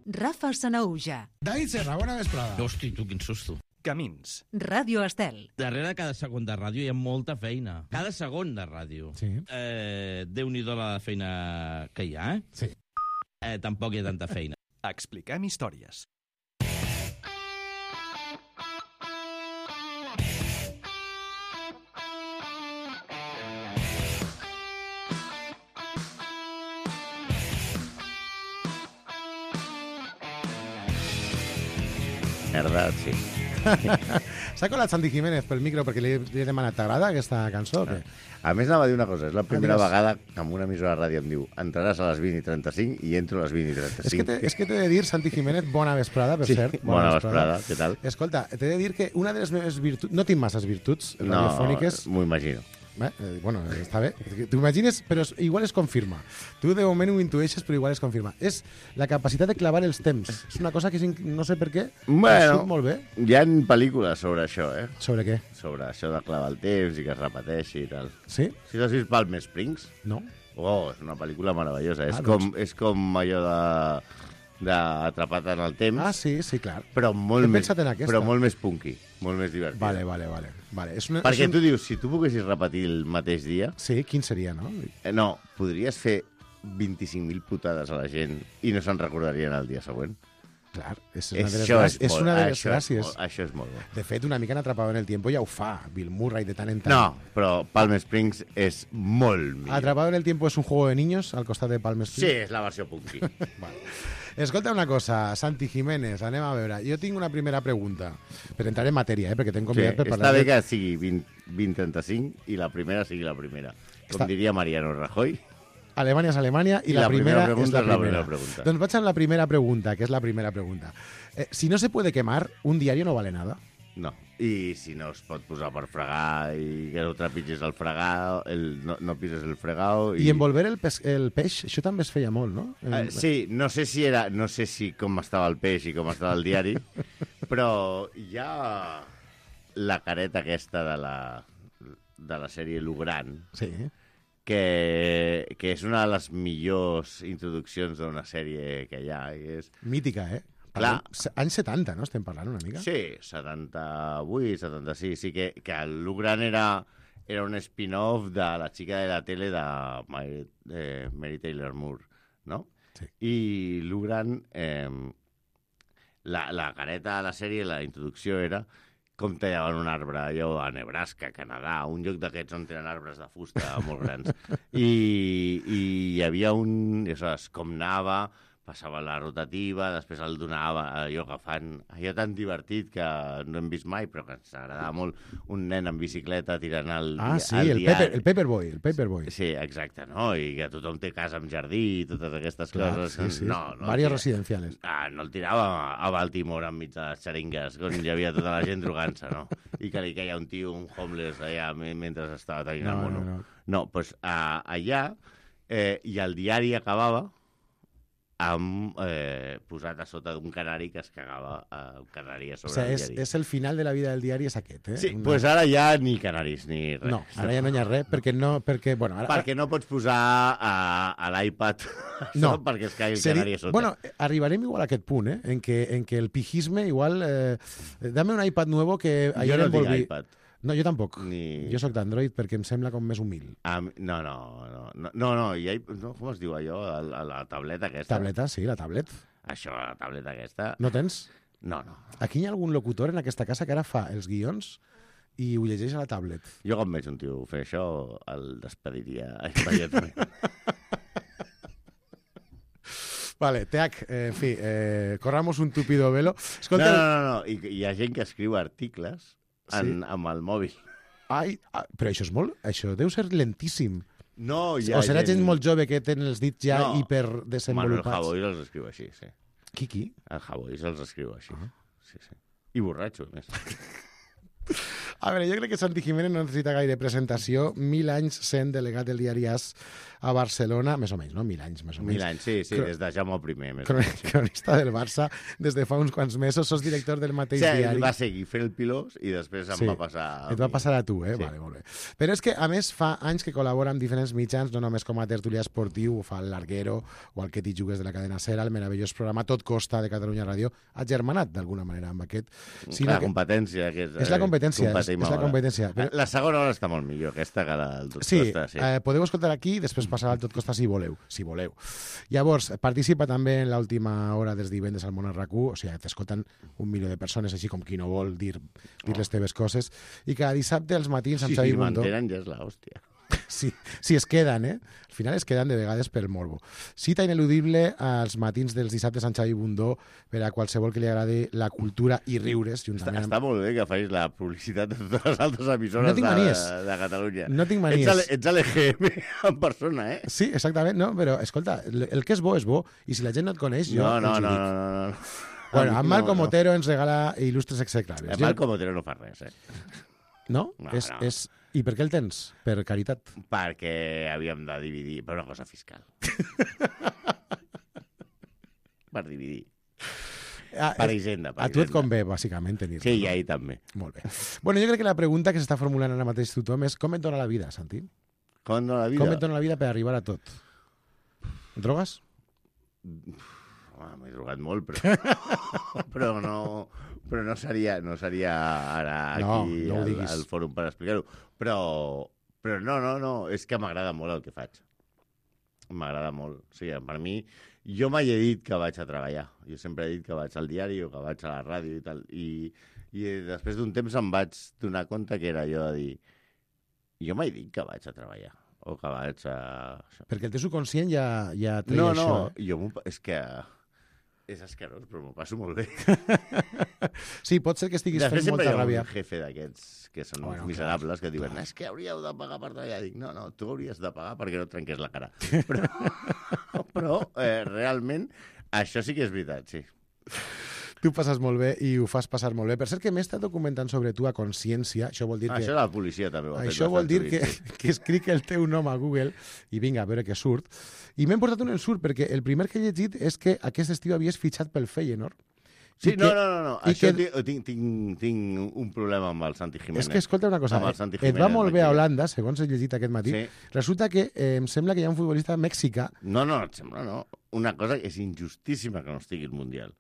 Rafa Sanauja. David Serra, bona vesprada. Hosti, tu, quin susto. Camins. Ràdio Estel. Darrere cada segon de ràdio hi ha molta feina. Cada segon de ràdio. Sí. Déu-n'hi-do la feina que hi ha, Sí. Tampoc hi ha tanta feina. Expliquem històries. Verdad, sí. S'ha colat Santi Jiménez pel micro perquè li he demanat, t'agrada aquesta cançó o què? A més, anava a dir una cosa. És la primera Digues. vegada que en una emissora de ràdio em diu entraràs a les 20:35 i entro a les 20:35. És que t'he de dir, Santi Jiménez, bona vesprada, per Sí, cert. bona vesprada, què tal? Escolta, t'he de dir que una de les meves virtuts... No tinc masses virtuts radiofòniques. No, m'ho imagino. Bueno, està bé. T'ho imagines, però igual es confirma. Tu de moment ho intueixes, però igual es confirma. És la capacitat de clavar els temps. És una cosa que no sé per què Bueno, surt molt bé. hi ha pel·lícules sobre això, Sobre què? Sobre això de clavar el temps i que es repeteixi i tal. Sí? Si has vist Palm Springs? No. Oh, és una pel·lícula meravellosa. doncs. És com allò d'atrapat en el temps. Ah, sí, clar. Però molt He més, pensat en aquesta. però molt més punky, molt més divertit. Vale. Perquè tu dius, si tu poguessis repetir el mateix dia... Sí, quin seria, no? No, podries fer 25.000 putades a la gent i no se'n recordarien el dia següent. Clar, és una de les gràcies. Això és molt bo. De fet, una mica en Atrapado en el Tiempo ja ho fa, Bill Murray, de tant en tant. No, però Palm Springs és molt millor. Atrapado en el Tiempo és un juego de niños al costat de Palm Springs? Sí, és la versió punky. Vale. Escolta una cosa, Santi Jiménez, anem a veure. Jo tinc una primera pregunta, per entrar en matèria, perquè t'hem convidat per parlar... Està bé que sigui 20-35 i la primera sigui la primera. Com diria Mariano Rajoy... Alemanya és Alemanya i la primera és la primera. Pregunta. Doncs vaig amb la primera pregunta, que és la primera pregunta. Si no se puede quemar, un diario no vale nada. No. I si no es pot posar per fregar i que no trepitges el fregar, no pises el fregao... I envolver el peix, això també es feia molt, no? Sí, no sé si com estava el peix i com estava el diari, però hi ha la careta aquesta de la sèrie Lugran, sí, que és una de les millors introduccions d'una sèrie que hi ha. Mítica, eh? Clar. Anys 70, no? Estem parlant una mica? Sí, 78, 76. Sí que el Lugran era un spin-off de la xica de la tele de Mary Taylor Moore, no? Sí. I Lugran, la careta de la sèrie, la introducció era com tallaven un arbre allò a Nebraska, Canadà, un lloc d'aquests on tenen arbres de fusta molt grans. I hi havia com anava, passava la rotativa, després el donava allò agafant, allò tan divertit que no hem vist mai, però que ens agradava molt, un nen en bicicleta tirant el el Paperboy. Sí, exacte, no? I que tothom té casa amb jardí i totes aquestes coses. Sí. No, Varios residenciales. No el tirava a Baltimore enmig de les xeringues, on hi havia tota la gent drogant-se, no? I que li queia un tio, un homeless, allà, mentre estava tenint el mono. No, doncs allà, i el diari acabava amb posat a sota d'un canari que es cagava un canari a sobre el diari. És el final de la vida del diari, és aquest, eh? Sí, doncs ara ja ni canaris ni res. No, ara ja no hi ha res, perquè no pots posar a l'iPad perquè es caigui el canari a sota. Bueno, arribarem igual a aquest punt, en que el pijisme igual... dame un iPad nuevo que... Jo no tinc iPad. No, jo tampoc. Jo sóc d'Android perquè em sembla com més humil. No, com es diu allò? La tableta aquesta. Tableta, sí, la tablet. Això, la tableta aquesta. No tens? No. Aquí hi ha algun locutor en aquesta casa que ara fa els guions i ho llegeix a la tablet. Jo quan veig un tio fer això, el despediria immediatament. Vale, Teac, en fi, corramos un tupido velo. Escolta... No, hi ha gent que escriu articles amb el mòbil. Ai, però això és molt... Això deu ser lentíssim. No, hi ha o serà gent molt jove que tenen els dits ja hiperdesenvolupats. Manuel Javois els escriu així, sí. Qui? El Javois els escriu així. Sí. I borratxo, a més. A veure, jo crec que Santi Jiménez no necessita gaire presentació. 1000 anys sent delegat del diari AS a Barcelona, més o menys, no? 1000 anys, més o menys. 1000 anys, sí, des de Jaume I. Cronista del Barça des de fa uns quants mesos, sos director del mateix diari. Sí, va seguir fent el pilós i després em va passar a mi. Et va passar a tu, Sí. Vale, molt bé. Però és que, a més, fa anys que col·labora amb diferents mitjans, no només com a tertulià esportiu, ho fa el Larguero o el Que t'hi jugues de la cadena SER, el meravellós programa Tot Costa de Catalunya Ràdio, ha germanat d'alguna manera amb aquest. La competència. És la competència, és la competència. La segona hora està molt millor, aquesta que la del Tot Costa. Sí, podeu escoltar aquí, després passar al Tot Costa si voleu. Llavors, participa també en l'última hora dels divendres al Món RAC1, o sigui, t'escolten 1 milió de persones, així com qui no vol dir les teves coses, i cada dissabte als matins amb Xavi Bundó... Si mantenen ja és l'hòstia. Sí, es queden, Al final es queden de vegades per morbo. Cita ineludible als matins dels dissabtes amb Xavi Bundó per a qualsevol que li agradi la cultura i riures. Està molt bé que facis la publicitat de totes les altres emissores de Catalunya. No tinc manies. Ets l'EGM en persona, eh? Sí, exactament, no, però escolta, el que és bo, i si la gent no et coneix, jo No. Bueno, en Malcom Otero ens regala il·lustres execrables. Malcom Otero no fa res, No? I per què el tens? Per caritat? Perquè havíem de dividir per una cosa fiscal. Per dividir. Per Hisenda. A tu et convé, bàsicament, tenir-lo. Sí, i a ell també. Molt bé. Bueno, jo crec que la pregunta que s'està formulant ara mateix tothom és com et dona la vida, Santi? Com et dona la vida? Com et dona la vida per arribar a tot? Drogues? M'he drogat molt, però no seria ara aquí al fòrum per explicar-ho. Però no, és que m'agrada molt el que faig. M'agrada molt. O sigui, per mi, Jo mai he dit que vaig a treballar. Jo sempre he dit que vaig al diari o que vaig a la ràdio i tal. I després d'un temps em vaig donar compte que era allò de dir jo mai dic que vaig a treballar o que vaig a... Perquè el teu subconscient ja treia això. No, és que és escarós, però m'ho passo molt bé. Sí, pot ser que estiguis fent molta ràbia. Després sempre hi ha un jefe d'aquests que són miserables que diuen és que hauríeu de pagar per treballar. Dic, no, tu hauries de pagar perquè no et trenqués la cara. Però realment això sí que és veritat, sí. Tu passes molt bé i ho fas passar molt bé. Per cert que m'he estat documentant sobre tu a Consciència. Això vol dir que... Això la policia també ho ha fet. Això vol dir que escric el teu nom a Google i vinga, a veure què surt. I m'he portat un ensurt perquè el primer que he llegit és que aquest estiu havies fitxat pel Feyenoord. Sí, no. Això tinc un problema amb el Santi Jiménez. És que, escolta una cosa, et va molt bé a Holanda, segons he llegit aquest matí. Sí. Resulta que em sembla que hi ha un futbolista mexicà... No, et sembla no. Una cosa que és injustíssima que no estigui al Mundial.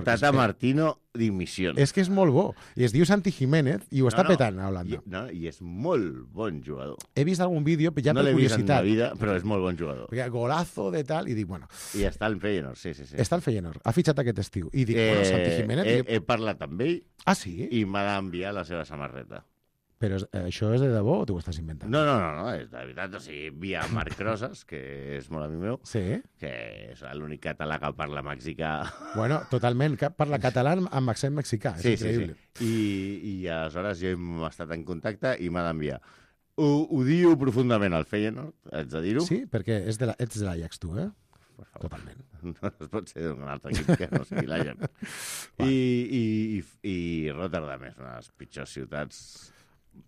Tata Martino, dimissió. És que és molt bo. I es diu Santi Jiménez i ho està petant a Holanda. I és molt bon jugador. He vist algun vídeo, ja per curiositat. No l'he vist en la vida, però és molt bon jugador. Perquè golazo de tal, i dic, bueno... I està al Feyenoord, sí. Està al Feyenoord. Ha fitxat aquest estiu. I dic, bueno, Santi Jiménez... He parlat amb ell. Ah, sí? I m'ha d'enviar la seva samarreta. Però això és de debò o t'ho estàs inventant? No, és de veritat. O sigui, via Marc Rosas, que és molt amic meu, que és l'únic català que parla mexicà. Bueno, totalment. Parla català amb accent mexicà. És increïble. Sí. I aleshores jo hem estat en contacte i m'ha d'enviar. Ho diu profundament al Feyenoord, haig de dir-ho. Sí, perquè ets de l'Ajax, tu, Totalment. No es pot ser d'un altre equip que no sigui l'Ajax. I Rotterdam és una de les pitjors ciutats...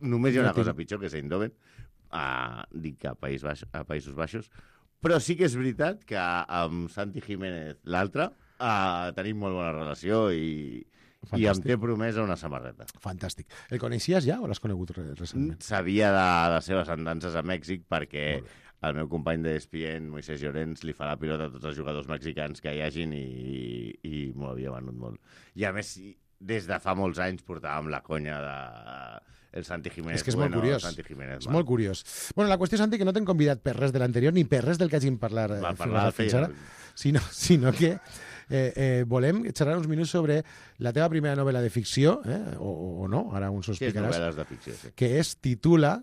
Només hi ha una cosa pitjor, que és Eindhoven, dic que a Països Baixos, però sí que és veritat que amb Santi Jiménez, l'altre, tenim molt bona relació i em té promesa una samarreta. Fantàstic. El coneixies ja o l'has conegut recentment? Sabia de les seves andances a Mèxic perquè el meu company d'ESPN, Moisés Llorens, li fa la pilota a tots els jugadors mexicans que hi hagin i m'ho havia venut molt. I a més, des de fa molts anys portàvem la conya de... El Santi Jiménez. És que és molt curiós. És molt curiós. Bueno, la qüestió, Santi, que no t'hem convidat per res de l'anterior ni per res del que hàgim parlat fins ara, sinó que volem xerrar uns minuts sobre la teva primera novel·la de ficció, o no, ara uns ho explicaràs. Sí, és novel·les de ficció, sí. Que es titula...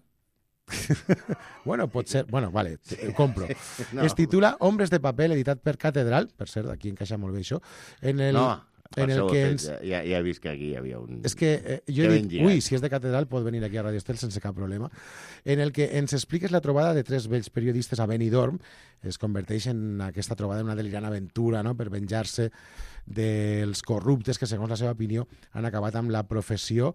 bueno, pot ser... Bueno, vale, ho compro. No. Es titula Hombres de paper, editat per Catedral. Per cert, aquí encaixa molt bé això. Per això ja he vist que aquí hi havia un... És que jo he dit, si és de Catedral pot venir aquí a Radio Estel sense cap problema, en el que ens expliques la trobada de tres vells periodistes a Benidorm. Es converteix en aquesta trobada en una delirant aventura, no?, per venjar-se dels corruptes que, segons la seva opinió, han acabat amb la professió.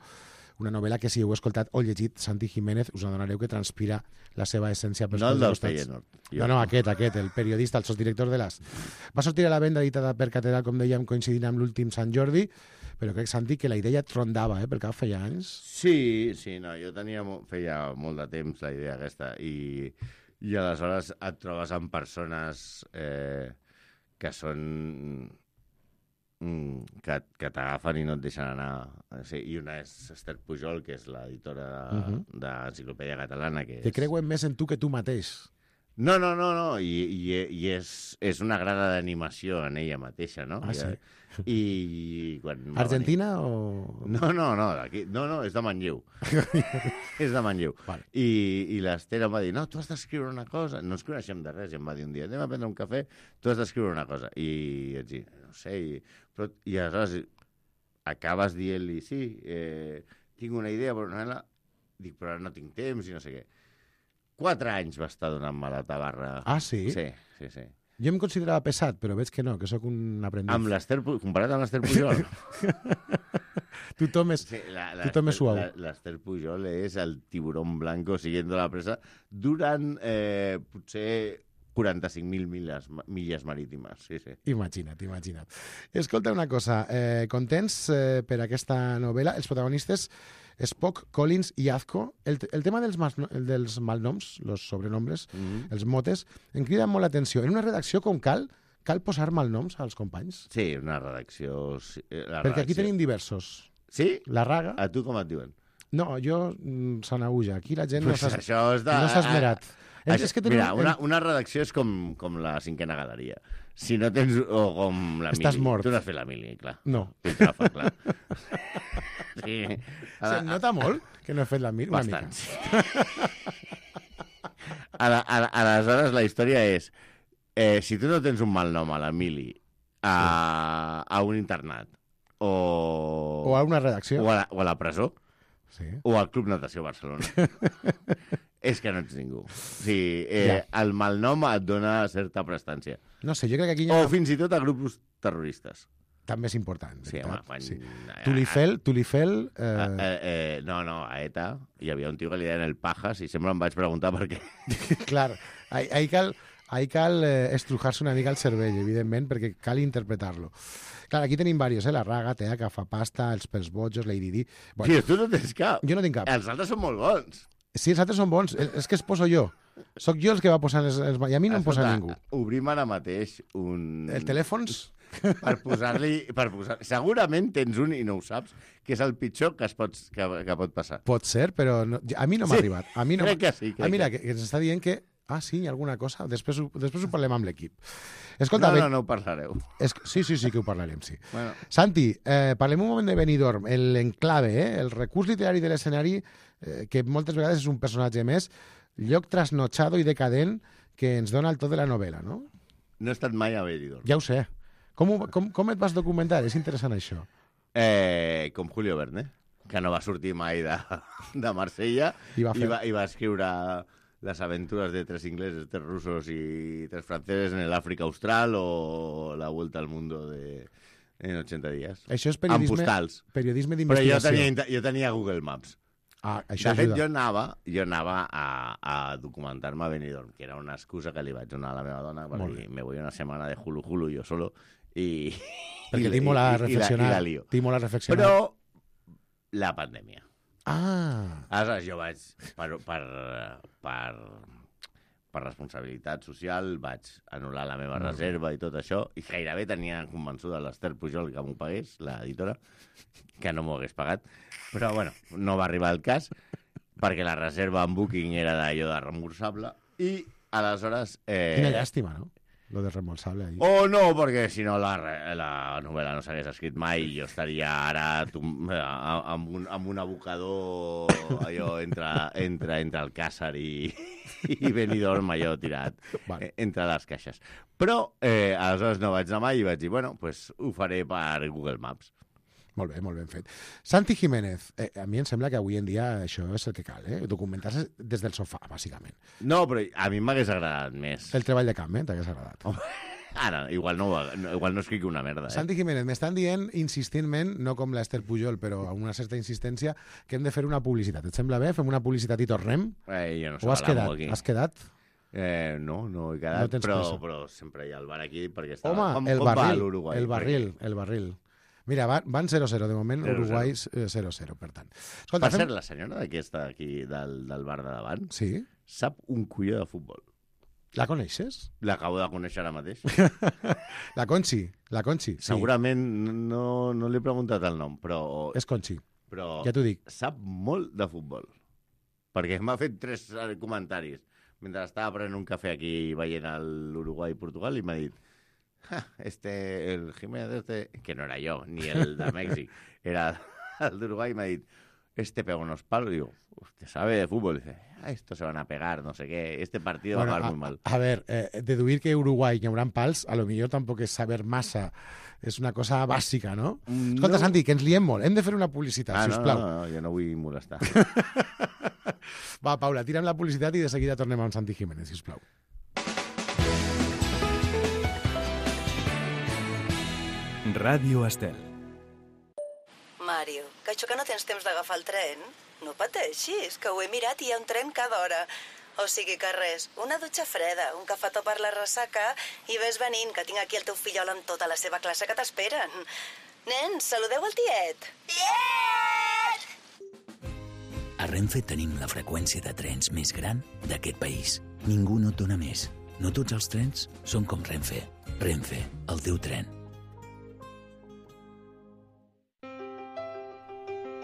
Una novel·la que, si heu escoltat o llegit Santi Jiménez, us adonareu que transpira la seva essència pels no el del Feyenoord. No, aquest, el periodista, el sosdirector de l'AS. Va sortir a la venda editada per Catedral, com dèiem, coincidint amb l'últim Sant Jordi, però crec, Santi, que la idea et rondava, pel cap feia anys. Sí, no, jo feia molt de temps la idea aquesta, i aleshores et trobes amb persones que són... que t'agafen i no et deixen anar. Sí, i una és Esther Pujol, que és l'editora d'Enciclopèdia Catalana. Que creuen més en tu que tu mateix. No, i és una grada d'animació en ella mateixa, no? Sí? I quan Argentina o...? No, aquí, no, és de Manlleu. És de Manlleu. Vale. I l'Esther em va dir, no, tu has d'escriure una cosa. No ens coneixem de res, i em va dir un dia, anem a prendre un cafè, tu has d'escriure una cosa. I vaig dir, no sé, i aleshores acabes dient-li, sí, tinc una idea, però dic, però no tinc temps i no sé què. 4 anys va estar donant-me la tabarra. Ah, sí? Sí. Jo em considerava pesat, però veig que no, que sóc un aprendiz. Comparat amb l'Esther Pujol. Tothom és suau. L'Esther Pujol és el tiburón blanco siguiendo la presa durant potser 45.000 milles marítimes. Sí. Imagina't. Escolta una cosa, contents per aquesta novel·la? Els protagonistes Spock, Collins i Azco. El tema dels malnoms, els sobrenombres, els motes, em crida molt l'atenció. En una redacció com cal posar malnoms als companys? Sí, una redacció... Perquè aquí tenim diversos. Sí? La Raga. A tu com et diuen? No, jo Sanaúja. Aquí la gent no s'ha esmerat. Mira, una redacció és com la cinquena galeria. Si no tens... O com la Estàs mili. mort. Tu no has fet la mili, clar. No. Piltrafa, clar. Sí. Se'm nota molt que no he fet la mili. Bastant. Aleshores, la història és... si tu no tens un mal nom a la mili, a un internat, o a una redacció, o a la presó, sí, o al Club Natació Barcelona, és que no ets ningú. O sigui, el malnom et dona certa prestància. No sé, jo crec que aquí... O fins i tot a grups terroristes. També és important. Sí, home, quan... Sí. Tulifel... No, a ETA hi havia un tio que li deien el Pajas i sempre em vaig preguntar per què. Clar, ahí cal estrujar-se una mica el cervell, evidentment, perquè cal interpretar-lo. Clar, aquí tenim diversos, la Raga, Tea, Cafapasta, els Pels Bojos, Lady Di... Bueno, tio, tu no tens cap. Jo no tinc cap. Els altres són molt bons. Sí, els altres són bons. És que es poso jo. Soc jo els que va posant els... I a mi no em posa ningú. Obrim ara mateix un... El telèfons? Per posar-li... Segurament tens un i no ho saps, que és el pitjor que pot passar. Pot ser, però no, a mi no m'ha arribat. A mi no crec que sí. Mira, que ens està dient que... Ah, sí, hi ha alguna cosa? Després ho parlem amb l'equip. Escolta, no ho parlareu. Sí que ho parlarem, sí. Bueno. Santi, parlem un moment de Benidorm, l'enclave, el recurs literari de l'escenari, que moltes vegades és un personatge més, lloc trasnochado i decadent que ens dona el to de la novel·la, no? No he estat mai a Benidorm. Ja ho sé. Com et vas documentar? És interessant això. Com Julio Verne, que no va sortir mai de Marsella i va escriure las aventuras de 3 ingleses, 3 rusos y 3 franceses en el África Austral o la vuelta al mundo en 80 dies. Això és periodisme d'investigació. Però jo tenia Google Maps. Això de fet, jo anava a documentar-me a Benidorm, que era una excusa que li vaig donar a la meva dona per dir, me voy una setmana de hulu jo solo i... Perquè tinc molt a reflexionar. Però la pandèmia. Aleshores, jo vaig, per responsabilitat social, vaig anul·lar la meva reserva i tot això, i gairebé tenia convençuda l'Ester Pujol que m'ho pagués, l'editora, que no m'ho hagués pagat. Però, bueno, no va arribar el cas, perquè la reserva en Booking era d'allò de reemborsable, i aleshores... Quina llàstima, no? Lo de reembolsable. No, perquè si no la novel·la no s'hagués escrit mai i jo estaria ara amb un abocador allò entre el Càsar i Benidorm allò tirat entre les caixes. Però aleshores no vaig anar mai i vaig dir, bueno, pues ho faré per Google Maps. Molt ben fet. Santi Jiménez, a mi em sembla que avui en dia això és el que cal, documentar-se des del sofà, bàsicament. No, però a mi m'hagués agradat més. El treball de camp, t'hagués agradat. Ara, igual no escric una merda. Santi Jiménez, m'estan dient insistentment, no com l'Ester Pujol, però amb una certa insistència, que hem de fer una publicitat. Et sembla bé? Fem una publicitat i tornem? Jo no o has quedat? No he quedat, però sempre hi ha el bar aquí perquè està... Home, el barril. Mira, van 0-0, de moment, 0-0. Uruguai 0-0, per tant. Escolta, per cert, la senyora d'aquesta aquí, del bar de davant, sap un colló de futbol. La coneixes? L'acabo de conèixer ara mateix. La Conchi. Sí. Segurament no li he preguntat el nom, però... És Conchi, però ja t'ho dic. Sap molt de futbol, perquè m'ha fet 3 comentaris mentre estava prenent un cafè aquí veient l'Uruguai i Portugal i m'ha dit el Jiménez que no era yo, ni el de Mèxic, era el de Uruguay, y me ha dicho, pega unos palos, y digo, usted sabe de fútbol, y dice, estos se van a pegar, no sé qué, este partido va a acabar muy mal. A ver, deduir que Uruguay hi haurà pals, a lo millor tampoc és saber massa, és una cosa bàsica, no? Escolta, Santi, que ens liem molt, hem de fer una publicitat, sisplau. No, jo no vull molestar. Va, Paula, tira'm la publicitat i de seguida tornem amb Santi Jiménez, sisplau. Ràdio Estel. Mario, que això que no tens temps d'agafar el tren? No pateixis, que ho he mirat i hi ha un tren cada hora. O sigui que res, una dutxa freda, un cafetó per la ressaca i ves venint, que tinc aquí el teu fillol amb tota la seva classe que t'esperen. Nens, saludeu el tiet. Tiet! A Renfe tenim la freqüència de trens més gran d'aquest país. Ningú no et dona més. No tots els trens són com Renfe. Renfe, el teu tren.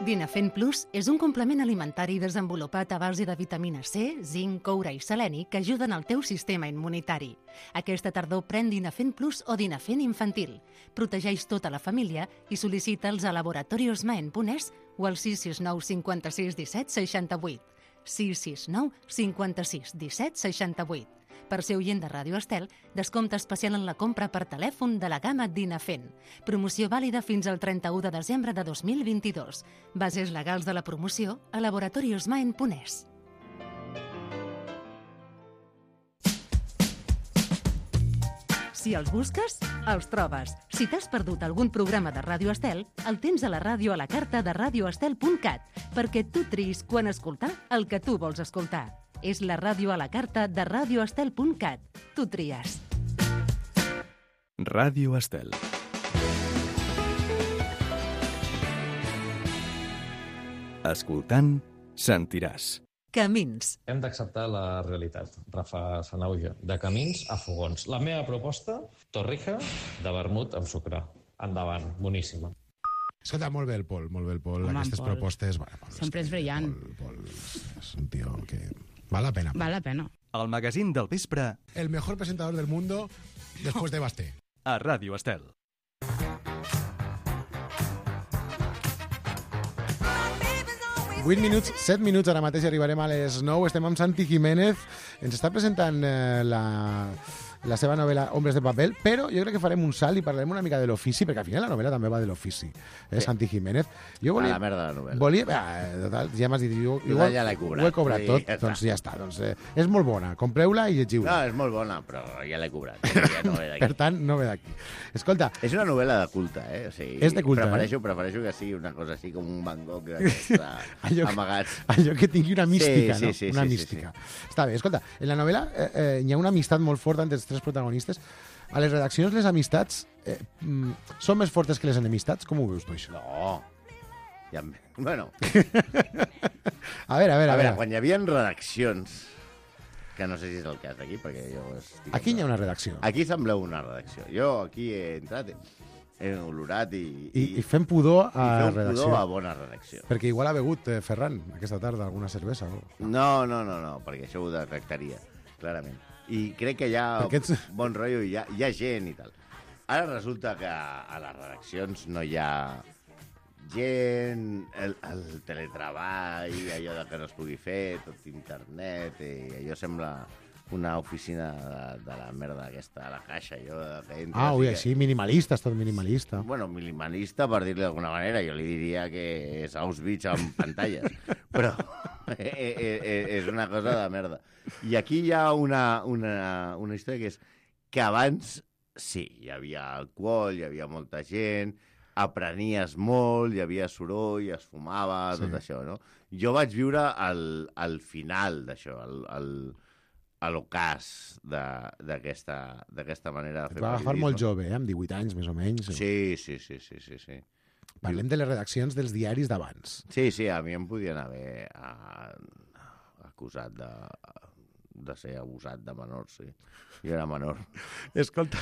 Dinafen Plus és un complement alimentari desenvolupat a base de vitamina C, zinc, coure i seleni que ajuden al teu sistema immunitari. Aquesta tardor pren Dinafen Plus o Dinafen Infantil. Protegeix tota la família i sol·licita'ls a laboratoriosmaen.es o al 669 56 17 68. 669 56 17 68. Per ser oient de Ràdio Estel, descompte especial en la compra per telèfon de la gamma Dinafen. Promoció vàlida fins al 31 de desembre de 2022. Bases legals de la promoció a laboratoriosmaen.es. Si els busques, els trobes. Si t'has perdut algun programa de Ràdio Estel, el tens a la ràdio a la carta de radioestel.cat, perquè tu triïs quan escoltar el que tu vols escoltar. És la ràdio a la carta de radioestel.cat. Tu tries. Ràdio Estel. Escoltant, sentiràs. Camins. Hem d'acceptar la realitat, Rafa Sanauja. De camins a fogons. La meva proposta, torrija de vermut amb sucre. Endavant, boníssima. Escolta, molt bé el Pol, molt bé el Pol. Home, Aquestes Pol. propostes... Sempre és brillant. Pol és un tio que... Val la pena. Val la pena. El magazín del vespre El mejor presentador del mundo después de Basté. a Ràdio Estel. Vuit minuts, 7 minuts, ara mateix arribarem a les 9. Estem amb Santi Jiménez. Ens està presentant la seva novel·la Hombres de Papel, però jo crec que farem un salt i parlarem una mica de l'ofici, perquè al final la novel·la també va de l'ofici. Sí. Santi Jiménez. Jo volia, A la merda de la novel·la. Total, ja m'has dit, Total, ja l'he cobrat. ho he cobrat Sí, tot, ja doncs ja està. Doncs, és molt bona, compreu-la i llegiu-la. No, és molt bona, però ja l'he cobrat. Ja no ve d'aquí. Per tant, no ve d'aquí. Escolta... És una novel·la de culte, eh? O sigui, És de culte, prefereixo que sigui una cosa així com un Van Gogh d'aquests amagats. Allò que tingui una mística, Sí, no? sí, Una sí, mística. sí. Està bé, escolta, en la novel·la hi ha una amistat molt forta entre els tres protagonistes. A les redaccions les amistats són més fortes que les enemistats? Com ho veus tu, això? No. Ja, bueno. A veure. Quan hi havia redaccions, que no sé si és el cas aquí, perquè jo estic... Aquí hi ha una redacció. Aquí sembleu una redacció. Jo aquí he entrat, he olorat I fem pudor a redacció. pudor a bona redacció. Perquè igual ha begut Ferran aquesta tarda alguna cervesa. O... No, perquè això ho detectaria, clarament. I crec que hi ha bon rotllo, hi ha gent i tal. Ara resulta que a les redaccions no hi ha gent, el teletreball, allò de que no es pugui fer, tot internet, i allò sembla una oficina de la merda aquesta, a la caixa. Així, minimalista, és tot minimalista. Bueno, minimalista, per dir-li d'alguna manera, jo li diria que és Auschwitz amb pantalles, però és una cosa de merda. I aquí hi ha una història que és que abans, sí, hi havia alcohol, hi havia molta gent, aprenies molt, hi havia soroll, es fumava, tot això, no? Jo vaig viure al final d'això, a l'ocàs d'aquesta manera de fer Et va agafar molt jove, amb 18 anys, més o menys. Sí. Parlem de les redaccions dels diaris d'abans. Sí, a mi em podien haver acusat de ser abusat de menors, sí. Jo era menor. Escolta,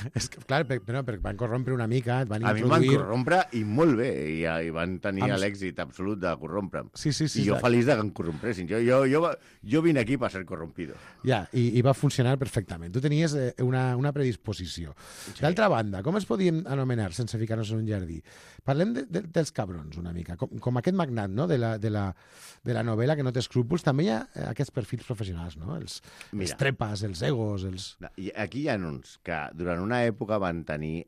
clar, perquè van corrompre una mica, et van introduir... A mi em van corrompre i molt bé, i van tenir l'èxit absolut de corrompre'm. Sí. I jo feliç de que em corrompressin. Jo vine aquí per ser corrompido. Ja, i va funcionar perfectament. Tu tenies una predisposició. Sí. D'altra banda, com es podien anomenar sense ficar-nos en un jardí? Parlem dels cabrons una mica, com aquest magnat, no?, de la novel·la que no té escrúpols. També hi ha aquests perfils professionals, no?, els trepas, els egos, els... Aquí hi ha uns que durant una època van tenir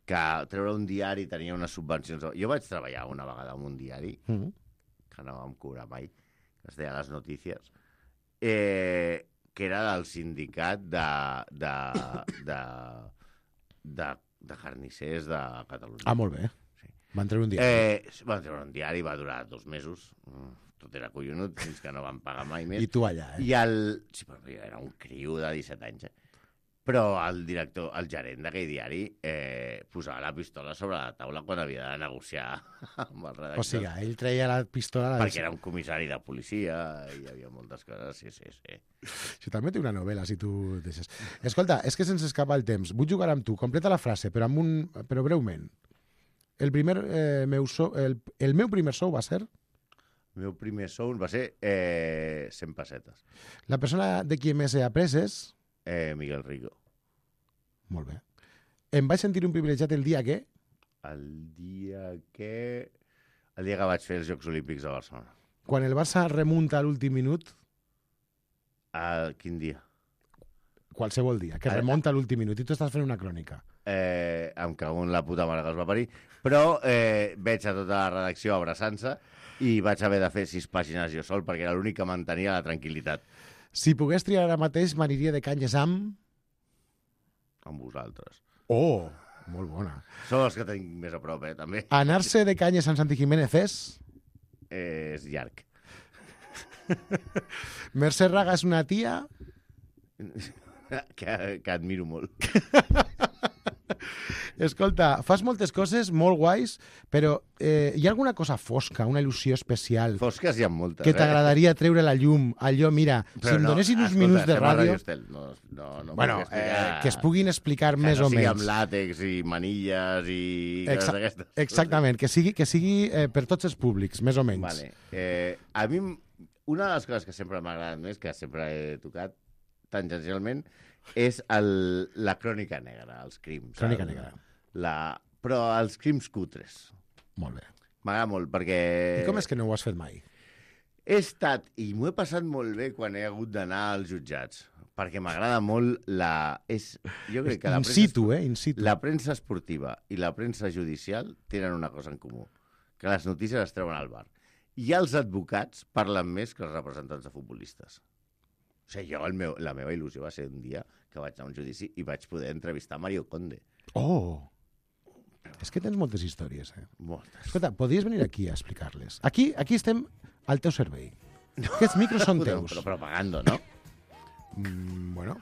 que treure un diari tenia unes subvencions. Jo vaig treballar una vegada en un diari, que no vam cobrar mai, que es deia Les Notícies, que era del sindicat de carnissers de Catalunya. Molt bé. Sí. Van treure un diari. Van treure un diari, va durar 2 mesos. Tot era collonut, fins que no van pagar mai més. I tu allà, Sí, però jo era un criu de 17 anys, Però el director, el gerent d'aquell diari, posava la pistola sobre la taula quan havia de negociar amb el redactor. O sigui, ell treia la pistola... Perquè era un comissari de policia, i hi havia moltes coses, sí. Això també té una novel·la, si tu deixes. Escolta, és que se'ns escapa el temps. Vull jugar amb tu. Completa la frase, però breument. el meu primer sou va ser... El meu primer sou va ser 100 pessetes. La persona de qui més he après és... Miguel Rico. Molt bé. Em vaig sentir un privilegiat el dia que... El dia que vaig fer els Jocs Olímpics de Barcelona. Quan el Barça remunta a l'últim minut... Quin dia? Qualsevol dia, que remunta a l'últim minut. I tu estàs fent una crònica. Em cago en la puta mare que els va parir. Però veig a tota la redacció abraçant-se i vaig haver de fer 6 pàgines jo sol perquè era l'únic que mantenia la tranquil·litat. Si pogués triar ara mateix, m'aniria de canyes amb... Amb vosaltres. Oh, molt bona. Sou els que tinc més a prop, també. Anar-se de canyes amb Santi Jiménez és... És llarg. Mercè Raga és una tia... que admiro molt. Escolta, fas moltes coses molt guais, però hi ha alguna cosa fosca, una il·lusió especial... Fosques hi ha moltes, que t'agradaria treure la llum, allò, mira, però si em donessin uns minuts de ràdio... Bueno, que es puguin explicar més o menys. Que no sigui amb làtex i manilles i coses d'aquestes. Exactament, que sigui per tots els públics, més o menys. Vale. A mi, una de les coses que sempre m'ha agradat més, que sempre he tocat tangencialment, és la crònica negra, els crims. Crònica negra. Però els crims cutres. Molt bé. M'agrada molt, perquè... I com és que no ho has fet mai? He estat, i m'ho he passat molt bé quan he hagut d'anar als jutjats, perquè m'agrada molt jo crec que in situ. La premsa esportiva i la premsa judicial tenen una cosa en comú, que les notícies es treuen al bar. I els advocats parlen més que els representants de futbolistes. O sigui, la meva il·lusió va ser un dia que vaig anar a un judici i vaig poder entrevistar Mario Conde. Oh! És que tens moltes històries, Moltes. Escolta, podries venir aquí a explicar-les. Aquí estem al teu servei. Aquests micros són teus. Però pagando, no? Bueno,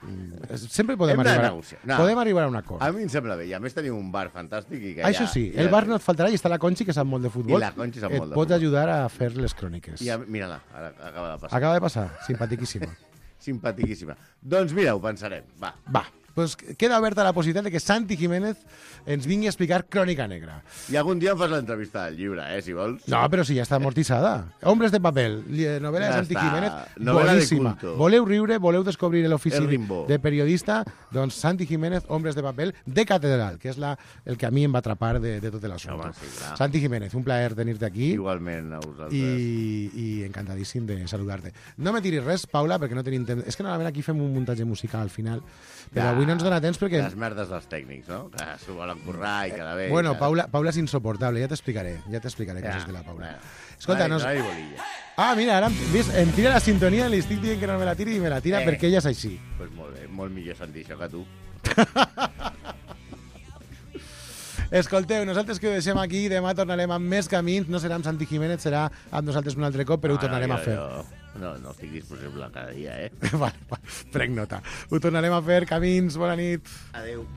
sempre podem arribar a un acord. A mi em sembla bé, i a més tenim un bar fantàstic. I que això sí, el bar no et faltarà i està la Conchi, que sap molt de futbol. I la Conchi sap molt de futbol. Et pot ajudar a fer les cròniques. I mira-la, ara acaba de passar. Acaba de passar, simpatiquíssima. Simpatiquíssima. Doncs mira, ho pensarem, va. Pues queda oberta la possibilitat de que Santi Jiménez ens vingui a explicar Crònica Negra. I algun dia em fas l'entrevista del llibre, si vols. No, però si ja està amortitzada. Hombres de papel, novel·la de Santi Jiménez, boníssima. Voleu riure, voleu descobrir l'ofici de periodista, doncs Santi Jiménez, Hombres de papel, de catedral, que és el que a mi em va atrapar de tot l'assumpte. Santi Jiménez, un plaer tenir-te aquí. Igualment a vosaltres. I encantadíssim de saludar-te. No me tiris res, Paula, perquè no tenim temps. És que normalment aquí fem un muntatge musical al final, però avui no ens dona temps perquè... Les merdes dels tècnics, no? Que s'ho volen currar i cada vegada... Bueno, Paula és insoportable, ja t'explicaré coses de la Paula. Escolta, no... mira, ara em tira la sintonia i li estic dient que no me la tiri i me la tira perquè ella és així. Pues molt bé, molt millor sentir això que tu. Escolteu, nosaltres que ho deixem aquí, demà tornarem amb més camins, no serà amb Santi Jiménez, serà amb nosaltres un altre cop, però ho tornarem a fer. No estic disponible cada dia, Vale, prenc nota. Ho tornarem a fer, camins, bona nit. Adéu.